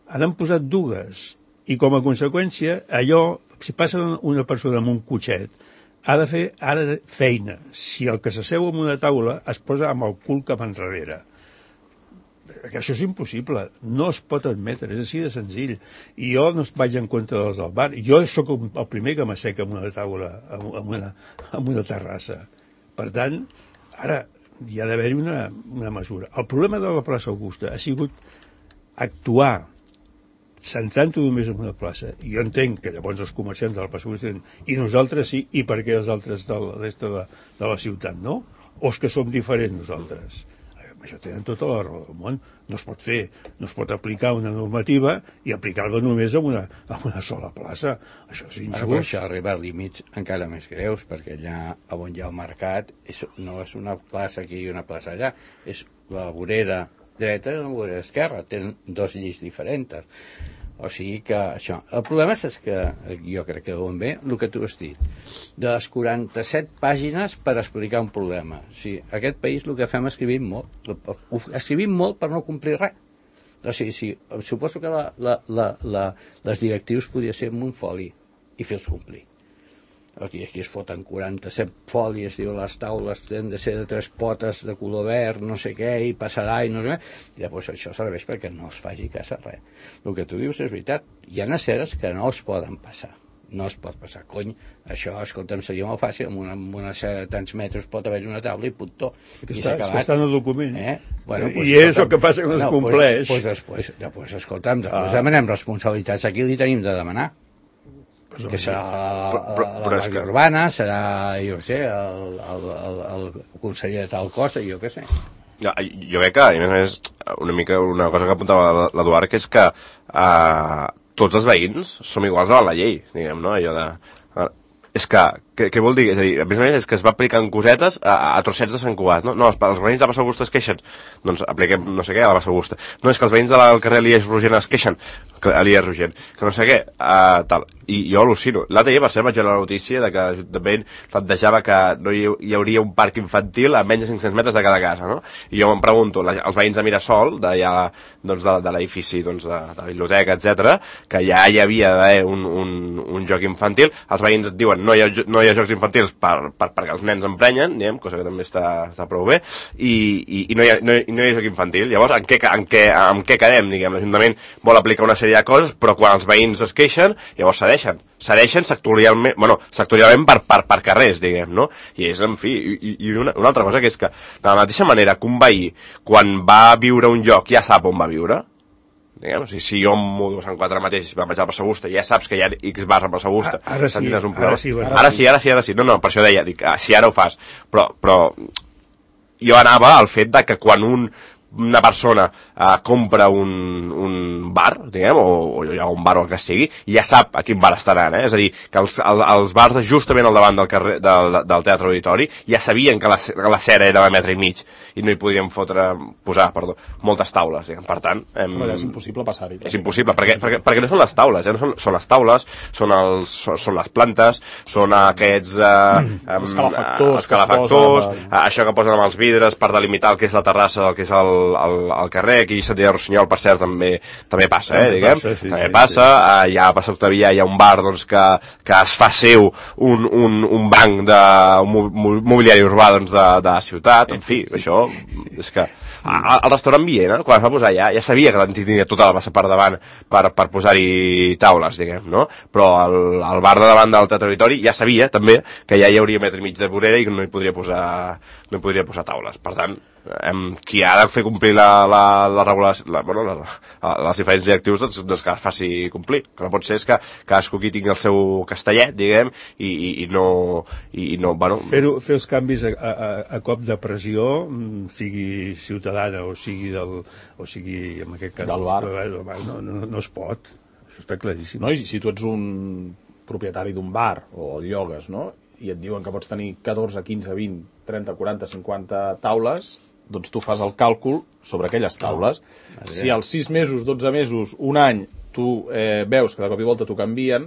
han posat dues. I com a conseqüència, allò, si passa una persona amb un cotxet, ha de fer ara feina. Si el que s'asseu en una taula es posa amb el cul cap enrere. Això és impossible. No es pot admetre. És així de senzill. I jo no vaig en contra dels del bar. Jo sóc el primer que m'asseca en una taula, en una, en una terrassa. Per tant, ara hi ha d'haver-hi una, una mesura. El problema de la plaça Augusta ha sigut actuar centrant-ho només en una plaça. I jo entenc que llavors els comerciants de la plaça Augusta i nosaltres sí, i per què els altres de la resta de, de la ciutat no? O és que som diferents nosaltres? Això tenen tota la raó del món. No es pot fer, no es pot aplicar una normativa i aplicar-la només en una, en una sola plaça. Això és injust. Però això arriba a límits encara més greus, perquè allà on hi ha el mercat és, no és una plaça aquí i una plaça allà, és la vorera dreta i la vorera esquerra, tenen dos lleis diferents. O sigui que això... El problema és que, jo crec que on ve, el que tu has dit, de les quaranta-set pàgines per explicar un problema. O sigui, aquest país el que fem escrivim molt. Escrivim molt per no complir res. O sigui, sí, suposo que la, la, la, la, les directius podria ser amb un foli i fer-los complir. Aquí, aquí es foten quaranta-set fòlies, diu, les taules han de ser de tres potes de color verd, no sé què, i passarà, i no sé què. I llavors això serveix perquè no es faci cas a res. El que tu dius és veritat. Hi ha aceres que no es poden passar. No es pot passar. Cony, això, escolta'm, seria molt fàcil. Amb una, amb una acera de tants metres pot haver una taula i puntó. I s'ha acabat. Està en el document. Eh? Bueno, pues, I és el que passa que no es compleix. Doncs pues, pues, pues, pues, escolta'm, després ah. demanem responsabilitats. Aquí li tenim de demanar. Que serà la, la Guàrdia Urbana, serà, jo què sé, el, el, el, el conseller de tal cosa, jo què sé. Jo, jo crec que, a més a més, una mica una cosa que apuntava l'Eduard, que és que uh, tots els veïns som iguals davant la llei, diguem, no? Allò de... Uh, és que, què, què vol dir? És a dir, a més a més, és que es va aplicant cosetes a, a trossets de Sant Cugat, no? No, els, els veïns de Bassa Augusta es queixen, doncs apliquem no sé què a la Bassa Augusta. No, és que els veïns del carrer Elies Rogent es queixen, que Elies Rogent, que no sé què, uh, tal. I jo al·lucino. L'altre dia, per cert, vaig veure la notícia de que l'Ajuntament plantejava que no hi, hi hauria un parc infantil a menys de cinc-cents metres de cada casa, no? I jo em pregunto, la, els veïns de Mirasol, d'allà, doncs, de, de l'edifici, doncs, de, de la biblioteca, etcètera, que ja hi havia d'haver un, un, un joc infantil, els veïns et diuen no hi ha, no hi ha jocs infantils per, per, perquè els nens emprenyen, diguem, cosa que també està, està prou bé, i, i, i no, hi ha, no, hi, no hi ha joc infantil. Llavors, en què, en què, en què quedem, diguem? L'Ajuntament vol aplicar una sèrie de coses, però quan els veïns es queixen, llavors cedeixen. Cedeixen sectorialment, bueno, sectorialment per, per, per carrers, diguem, no? I és, en fi, i, i una, una altra cosa que és que, de la mateixa manera que un veí, quan va viure un lloc, ja sap on va viure, diguem, o sigui, si jo em mudo a Sant Quatre mateix i vaig a Bassa Augusta, ja saps que hi ha X bars a Bassa Augusta. Ara sí, un ara sí, ara, ara sí, ara sí, ara sí. No, no, per això deia, dic, ah, si ara ho fas. Però, però jo anava al fet de que quan un una persona uh, compra un, un bar, diguem, o, o hi ha un bar o el que sigui, i ja sap a quin bar estaran, eh? És a dir, que els, el, els bars justament al davant del, carrer, del, del Teatre Auditori ja sabien que la, que la cera era de metre i mig i no hi podien fotre, posar, perdó, moltes taules, diguem. Per tant... Hem... Però és impossible passar-hi. És impossible, perquè, perquè, perquè no són les taules, eh? No són, són les taules, són, els, són, són les plantes, són aquests... Uh, um, els calefactors, els calefactors posen, uh, això que posen amb els vidres per delimitar el que és la terrassa del que és el Al, al carrer, aquí a Sant Diego Rossinyol, per cert, també, també passa, eh, diguem, passa, sí, també sí, passa, sí. Uh, ja a Passa Octavià hi ha un bar, doncs, que, que es fa seu un, un, un banc de un mobiliari urbà, doncs, de, de la ciutat, en fi, això, és que el restaurant Viena, quan es va posar allà, ja sabia que tenia tota la bassa per davant per, per posar-hi taules, diguem, no? Però el, el bar de davant del Teatre Auditori ja sabia, també, que ja hi hauria metre i mig de vorera i que no hi podria posar, no hi podria posar taules. Per tant, Em, qui ha de fer complir la, la, la regulació, la, bueno, la, la, les diferents directius, doncs, doncs que es faci complir. Que no pot ser és que cadascú aquí tingui el seu castellet, diguem, i, i, i no... I, i no bueno... fer, fer els canvis a, a, a cop de pressió, sigui ciutadana o sigui, del, o sigui en aquest cas... Del bar. No, no, no es pot. Això està claríssim. No, i si tu ets un propietari d'un bar o el llogues, no?, i et diuen que pots tenir catorze, quinze, vint, trenta, quaranta, cinquanta taules, doncs tu fas el càlcul sobre aquelles taules. No. Si als sis mesos, dotze mesos, un any, tu eh, veus que de cop i volta t'ho canvien,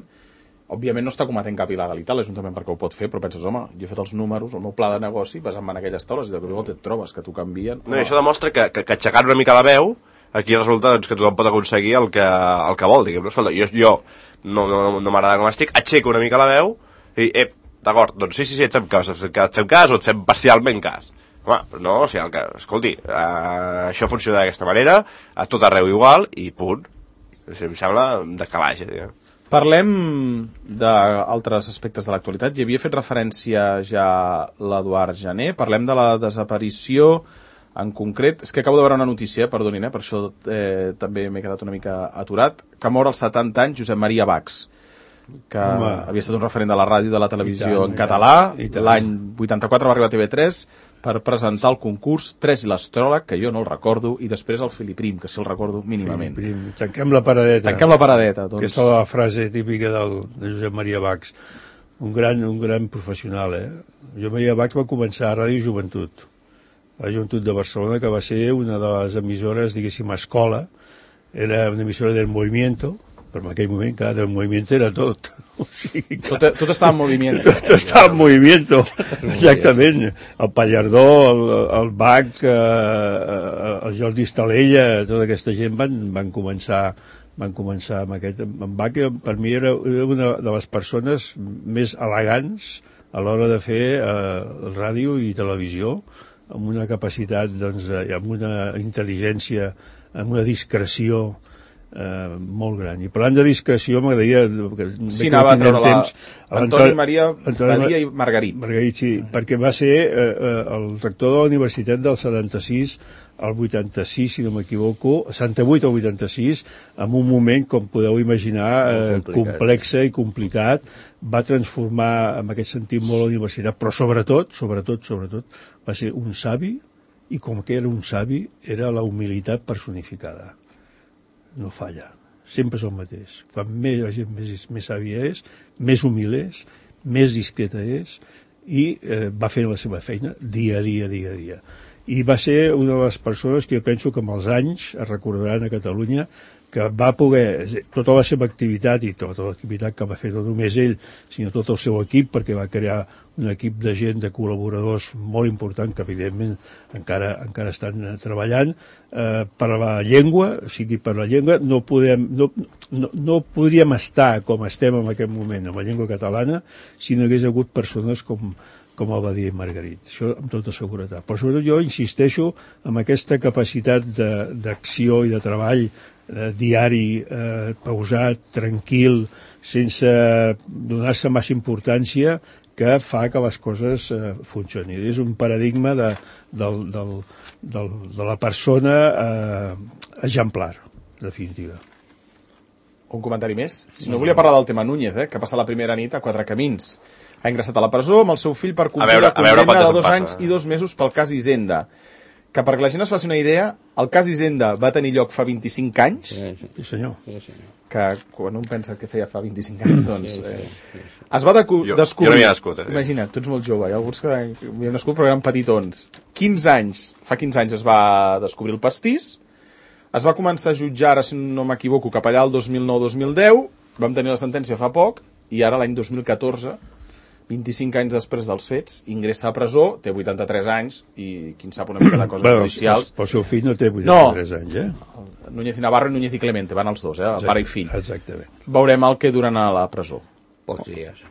òbviament no està cometent cap il·legalitat l'Ajuntament perquè ho pot fer, però penses, home, jo he fet els números, el meu pla de negoci, basant en aquelles taules, i de cop i volta et trobes que t'ho canvien. No, i això demostra que, que, que aixecant una mica la veu, aquí resulta doncs, que tothom pot aconseguir el que, el que vol, diguem. Escolta, jo, jo no, no, no m'agrada com estic, aixeco una mica la veu i, ep, d'acord, doncs sí, sí, sí, et fem cas, et fem cas o et fem parcialment cas. Home, però no, o sigui, el que, escolti, uh, això funciona d'aquesta manera, a tot arreu igual, i punt. O sigui, em sembla de calaix, diguem. Parlem d'altres aspectes de l'actualitat. Hi havia fet referència ja l'Eduard Jané. Parlem de la desaparició en concret. És que acabo de veure una notícia, perdonin, eh, per això eh, també m'he quedat una mica aturat, que mor als setanta anys Josep Maria Bax, que Home. havia estat un referent de la ràdio i de la televisió tant, en català. L'any vuitanta-quatre va arribar a T V tres per presentar el concurs Tres i l'astròleg, que jo no el recordo, i després el Filiprim, que sí el recordo mínimament. Filiprim. Tanquem la paradeta. Tanquem la paradeta. Doncs... Aquesta és la frase típica del, de Josep Maria Bax. Un gran, un gran professional, eh? Josep Maria Bax va començar a Ràdio Joventut, la Joventut de Barcelona, que va ser una de les emissores, diguéssim, escola. Era una emissora del Movimiento, però en aquell moment, clar, del moviment era tot. O sigui, tot, tot estava en moviment. Tot, tot estava en moviment, exactament. El Pallardó, el, el Bach, eh, el Jordi Estalella, tota aquesta gent van, van començar van començar amb aquest... En Bach, per mi, era una de les persones més elegants a l'hora de fer eh, ràdio i televisió, amb una capacitat, doncs, amb una intel·ligència, amb una discreció Uh, molt gran. I parlant de discreció m'agradaria... Sí, anava a treure temps, la... Antoni Maria Badia i Margarit. Margarit, sí, perquè va ser uh, uh, el rector de la Universitat del setanta-sis al vuitanta-sis, si no m'equivoco, setanta-vuit al vuitanta-sis, en un moment, com podeu imaginar, uh, complexe i complicat, va transformar, en aquest sentit, molt la universitat, però sobretot, sobretot, sobretot, va ser un savi, i com que era un savi, era la humilitat personificada. No falla, sempre és el mateix. Quan més la gent més, més sàvia és, més humil és, més discreta és, i eh, va fer la seva feina dia a dia, dia a dia. I va ser una de les persones que jo penso que amb els anys es recordaran a Catalunya, que va poder, tota la seva activitat i tota l'activitat que va fer no només ell, sinó tot el seu equip, perquè va crear un equip de gent, de col·laboradors molt important, que evidentment encara, encara estan treballant, eh, per la llengua, o sigui, per la llengua no, podem, no, no, no podríem estar com estem en aquest moment amb la llengua catalana si no hagués hagut persones com, com el va dir Margarit, això amb tota seguretat. Però sobretot jo insisteixo en aquesta capacitat d'acció i de treball eh, diari, eh, pausat, tranquil, sense donar-se massa importància, que fa que les coses eh, funcionin. És un paradigma de, del, del, del, de la persona eh, exemplar, definitiva. Un comentari més? Si no, volia parlar del tema Núñez, eh, que passa la primera nit a Quatre Camins. Ha ingressat a la presó amb el seu fill per complir la condemna de dos anys i dos mesos pel cas Hisenda. Que perquè la gent es faci una idea, el cas Hisenda va tenir lloc fa vint-i-cinc anys. Sí, sí. Sí, senyor. Sí, senyor. Que quan un pensa que feia fa vint-i-cinc anys, doncs... Eh, es va decu- jo, descobrir... Jo no havia nascut, eh? Imagina't, tu ets molt jove, hi ha alguns que havien nascut però eren petitons. quinze anys, fa quinze anys es va descobrir el pastís, es va començar a jutjar, ara si no m'equivoco, cap allà el dos mil nou dos mil deu, vam tenir la sentència fa poc, i ara l'any dos mil catorze, vint-i-cinc anys després dels fets, ingressa a presó, té vuitanta-tres anys, i qui en sap una mica de coses bueno, judicials... Però el seu fill no té vuitanta-tres no. anys, eh? Núñez i Navarro i Núñez i Clemente, van els dos, eh? El pare i fill. Exactament. Veurem el que duren a la presó. Pocs dies.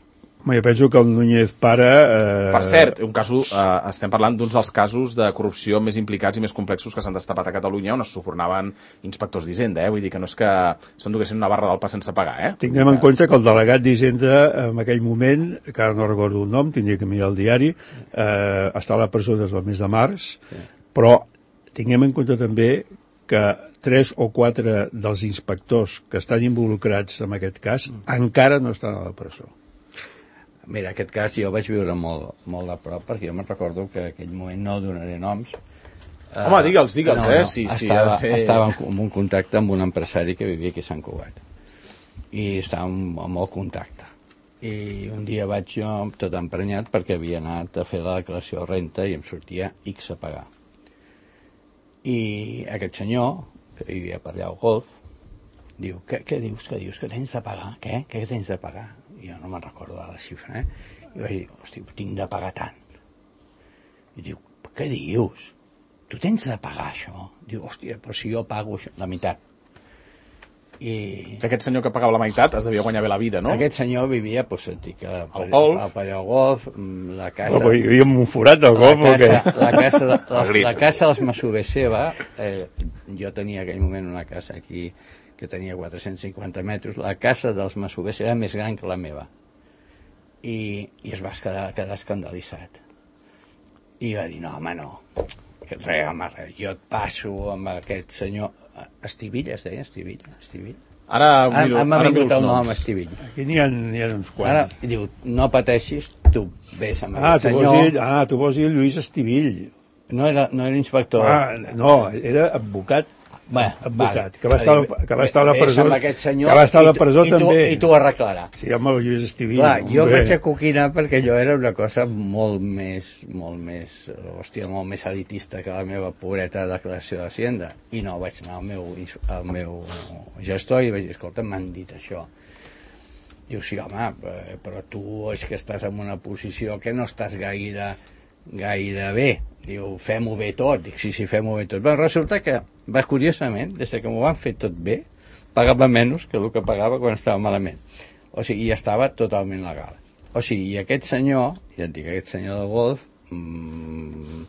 Jo penso que el Núñez pare... Eh... Per cert, un cas, eh, estem parlant d'uns dels casos de corrupció més implicats i més complexos que s'han destapat a Catalunya, on es subornaven inspectors d'Hisenda, eh? Vull dir que no és que s'enduguessin una barra del pa sense pagar, eh? Tinguem en compte que el delegat d'Hisenda en aquell moment, que ara no recordo el nom, tindria que mirar el diari, eh, està a la presó des del mes de març, però tinguem en compte també que tres o quatre dels inspectors que estan involucrats en aquest cas encara no estan a la presó. Mira, aquest cas jo vaig viure molt, molt de prop, perquè jo me'n recordo que en aquell moment no donaré noms. Home, digue'ls, digue'ls, no, eh? No, Sí, sí, estava, ha de ser... estava en un contacte amb un empresari que vivia aquí a Sant Cugat. I estàvem en molt contacte. I un dia vaig jo tot emprenyat perquè havia anat a fer la declaració de renta i em sortia X a pagar. I aquest senyor, que vivia per allà al Golf, diu, què, què dius, què dius, que tens de pagar? Què? Què tens de pagar? Jo no me'n recordo de la xifra, eh? I vaig dir, hosti, tinc de pagar tant. I diu, què dius? Tu tens de pagar això? Diu, hòstia, però si jo pago això, la meitat. I... Que aquest senyor que pagava la meitat es devia guanyar bé la vida, no? Aquest senyor vivia, doncs, dic, al Golf. Al Paller Golf, la casa... No, hi havia un forat al Golf o què? La casa, la, les, la casa dels Masovers seva, eh, jo tenia en aquell moment una casa aquí que tenia quatre-cents cinquanta metres, la casa dels Masovers era més gran que la meva. I, i es va quedar, quedar escandalitzat. I va dir, no, home, no, que res, home, res, jo et passo amb aquest senyor... Estivilla, es deia, Estivilla, Estivilla. Ara, miro, ara m'ha ara miro vingut els el nom, noms. Estivilla. Aquí n'hi ha, n'hi ha uns quants. Ara, diu, no pateixis, tu vés amb Ah, aquest tu senyor. vols dir, ah, tu vols dir Lluís Estivill. No era, no era inspector. Ah, no, era advocat. Bé, advocat, vale. que va estar, que va estar a la presó, senyor, que va estar a la i tu- presó i tu, també. I t'ho arreglarà. Sí, home, el Lluís Estivill. Clar, jo hombre. vaig a coquinar perquè allò era una cosa molt més, molt més, hòstia, molt més elitista que la meva pobreta declaració d'Hacienda. I no, vaig anar al meu, al meu gestor i vaig dir, escolta, m'han dit això. Diu, sí, home, però tu és que estàs en una posició que no estàs gaire, gaire bé. Diu, fem-ho bé tot. Dic, sí, sí, fem-ho bé tot. Però resulta que, va, curiosament, des que m'ho van fer tot bé, pagava menys que el que pagava quan estava malament. O sigui, i estava totalment legal. O sigui, i aquest senyor, ja et dic, aquest senyor del Golf, mmm,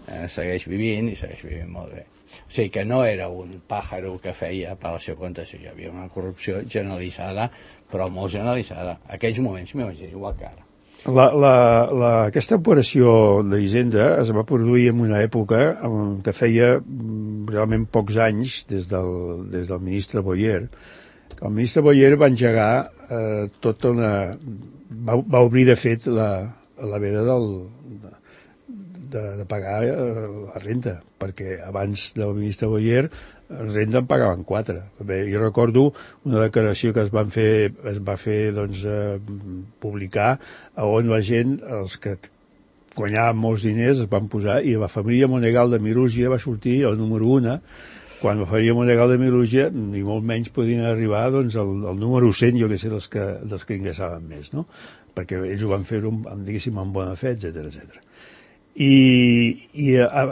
eh, segueix vivint i segueix vivint molt bé. O sigui que no era un pàjaro que feia per al seu compte, hi havia una corrupció generalitzada, però molt generalitzada. Aquells moments m'imagino igual que ara. La, la, la, aquesta operació d'Hisenda es va produir en una època en què feia mm, realment pocs anys des del, des del ministre Boyer. El ministre Boyer va engegar eh, tota una... Va, va obrir, de fet, la, la veda del, de, de pagar eh, la renta, perquè abans del ministre Boyer renda en pagaven quatre. Bé, jo recordo una declaració que es van fer, es va fer doncs, eh, publicar, on la gent, els que guanyaven molts diners, es van posar, i la família Monegal de Mirugia va sortir el número una, quan la família Monegal de Mirugia, ni molt menys podien arribar doncs, al, al número cent, jo que sé, dels que, dels que ingressaven més, no? Perquè ells ho van fer amb, diguéssim, amb bona fe, etcètera, etcètera. I, i a,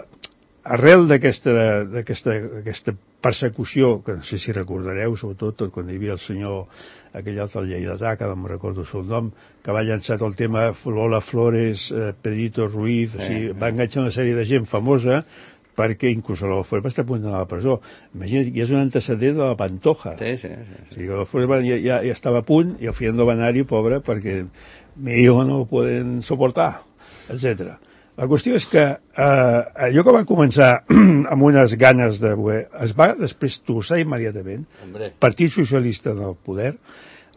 arrel d'aquesta d'aquesta aquesta persecució, que no sé si recordareu, sobretot tot quan hi havia el senyor, aquell altre lleidatà, que no em recordo el seu nom, que va llançar el tema Lola Flores, eh, Pedrito Ruiz, o sigui, va enganxar una sèrie de gent famosa, perquè inclús Lola Flores va estar a punt d'anar a la presó. Imagina't, ja és un antecedent de la Pantoja. Sí, sí, sí. O sigui, Lola Flores ja, ja, ja estava a punt, i al final no va anar-hi, pobre, perquè mi hijo no ho poden soportar, etcètera. La qüestió és que eh, allò que va començar amb unes ganes de... es va després torçar immediatament, Hombre. Partit Socialista en el poder,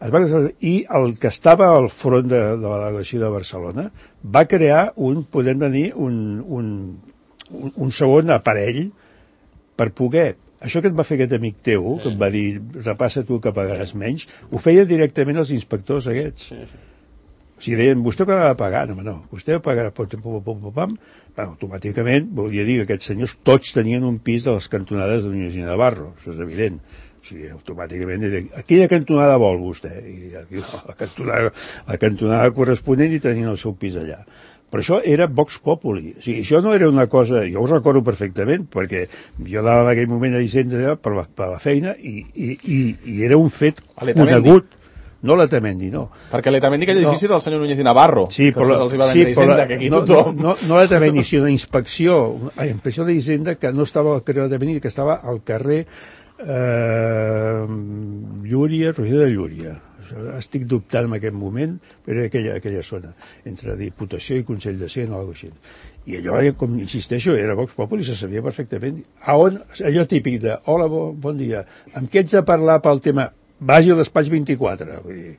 es va, i el que estava al front de, de la delegació de Barcelona va crear un, podem dir, un, un, un, un segon aparell per poder... Això que et va fer aquest amic teu, que et va dir, repassa tu que pagaràs menys, ho feia directament els inspectors aquests. Sí, sí. Si deien, vostè que ha de pagar, no, no, vostè pagarà, pam, pam, pam, pam, bueno, automàticament volia dir que aquests senyors tots tenien un pis de les cantonades de Núñez i Navarro, això és evident. O sigui, automàticament, aquella cantonada vol vostè, i la cantonada, la cantonada corresponent i tenien el seu pis allà. Però això era Vox Populi. O sigui, això no era una cosa... Jo ho recordo perfectament, perquè jo anava en aquell moment a Hisenda per la, per la feina i, i, i, i era un fet conegut. No l'Etamendi, no. Perquè l'Etamendi, aquell edifici, no. Era el senyor Núñez i Navarro. Sí, però, els hi va sí, Hisenda, però que aquí no, tothom... no, no, no l'Etamendi, sinó una inspecció, una inspecció d'Hisenda que no estava al carrer l'Etamendi, que estava al carrer eh, Llúria, Roger de Llúria. Estic dubtant en aquest moment, però era aquella, aquella zona, entre Diputació i Consell de Cent o alguna cosa així. I allò, com insisteixo, era Vox Populi, se sabia perfectament. A on, allò típic de, hola, bon, bon dia, amb què ets a parlar pel tema? Vagi al despatx vint-i-quatre. Vull dir,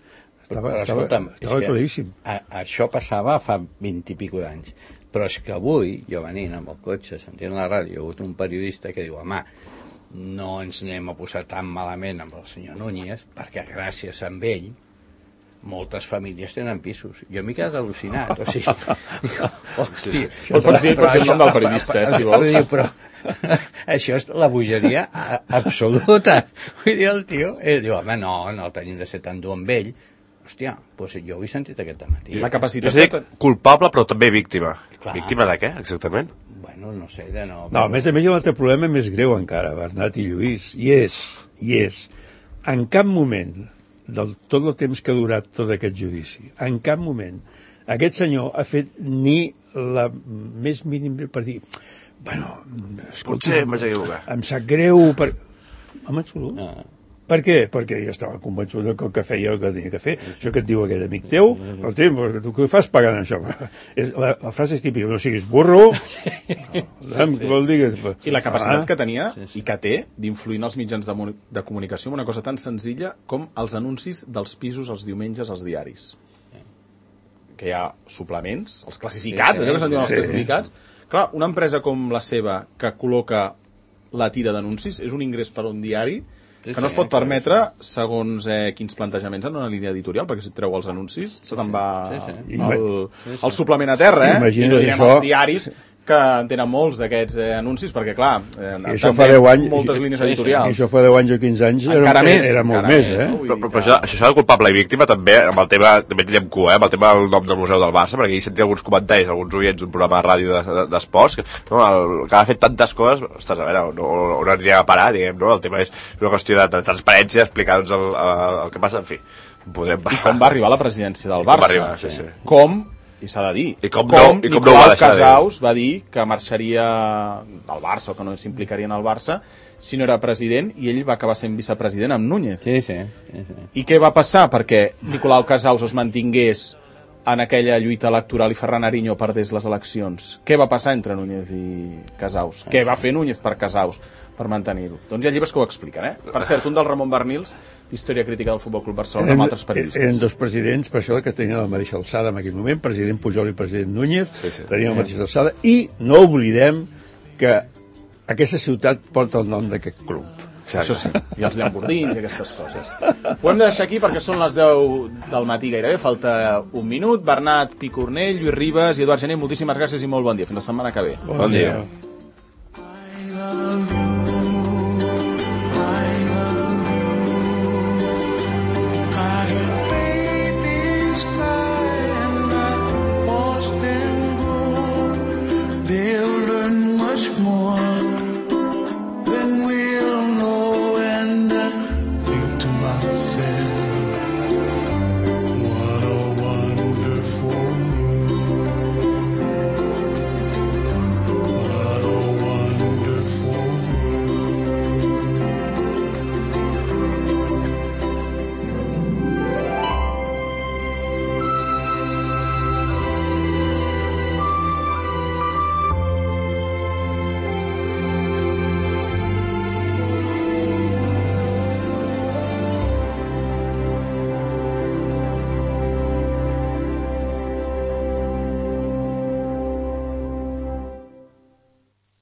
estava, però, estava, escolta'm, estava claríssim. A, això passava fa vint i pico d'anys. Però és que avui, jo venint amb el cotxe, sentint la ràdio, hi ha hagut un periodista que diu, home, no ens anem a posar tan malament amb el senyor Núñez, perquè gràcies a ell moltes famílies tenen pisos. Jo m'he quedat al·lucinat. O sigui, hòstia... Pots dir el nom del periodista, eh, si vols. Però això és la bogeria absoluta. Vull dir, el tio eh, diu, home, no, no el tenim de ser tan dur amb ell. Hòstia, doncs jo ho he sentit aquest matí. La capacitat... Jo dic culpable, però també víctima. Clar. Víctima de què, exactament? Bueno, no sé, de no... No, a més a més hi ha un altre problema més greu encara, Bernat i Lluís, i és, i és, en cap moment, del tot el temps que ha durat tot aquest judici, en cap moment, aquest senyor ha fet ni la més mínima per dir, bueno, escolta, potser m'haig equivocat. Em sap greu per... Home, absolut. No. Per què? Perquè jo estava convençut que el que feia el que tenia que fer. Això que et diu aquell amic teu, el temps, tu què fas pagant això? La, la frase és típica, no siguis burro, sí. No, sí, vol dir que... I la capacitat ah, que tenia sí, sí. i que té d'influir en els mitjans de, de comunicació amb una cosa tan senzilla com els anuncis dels pisos els diumenges als diaris. Que hi ha suplements, els classificats, sí, sí, allò que se'n diuen els sí. classificats. Clar, una empresa com la seva que col·loca la tira d'anuncis és un ingrés per a un diari que no es pot permetre segons eh, quins plantejaments en una línia editorial, perquè si et treu els anuncis se te'n va sí, sí. el, el suplement a terra, eh? Imagina't I no direm això... els diaris que en tenen molts d'aquests eh, anuncis, perquè clar, eh, això fa deu anys, moltes línies sí, editorials. I això fa deu anys o quinze anys era, encara més, era molt encara més, més, eh? no? Però, però, però això, això de culpable i víctima també, amb el tema, també tindrem cua, eh, amb el tema del nom del Museu del Barça, perquè hi sentia alguns comentaris, alguns oients d'un programa de ràdio d'esports, de, de, que, no, el, que ha fet tantes coses, ostres, a veure, no, on aniria a parar, diguem, no? El tema és una qüestió de, de transparència, d'explicar doncs, el, el, el que passa, en fi. Podem... I com va arribar a la presidència del Barça. Com va arribar, sí, sí. Com, i s'ha de dir, I com, com no, i com Nicolau no va deixar Casaus va dir que marxaria del Barça, o que no s'implicaria en el Barça, si no era president, i ell va acabar sent vicepresident amb Núñez. Sí, sí, sí, sí. I què va passar perquè Nicolau Casaus es mantingués en aquella lluita electoral i Ferran Ariño perdés les eleccions? Què va passar entre Núñez i Casaus? Què va fer Núñez per Casaus per mantenir-ho? Doncs hi ha llibres que ho expliquen, eh? Per cert, un del Ramon Bernils, Història crítica del Futbol Club Barcelona, amb altres periodistes. Eren dos presidents, per això que tenien la mateixa alçada en aquell moment, president Pujol i president Núñez, sí, sí. tenien la mateixa alçada, i no oblidem que aquesta ciutat porta el nom d'aquest club. Exacte. Això sí, i els llambordins i aquestes coses. Ho hem de deixar aquí perquè són les deu del matí gairebé, falta un minut. Bernat Picornell, Lluís Ribas i Eduard Gené, moltíssimes gràcies i molt bon dia. Fins la setmana que ve. Bon dia.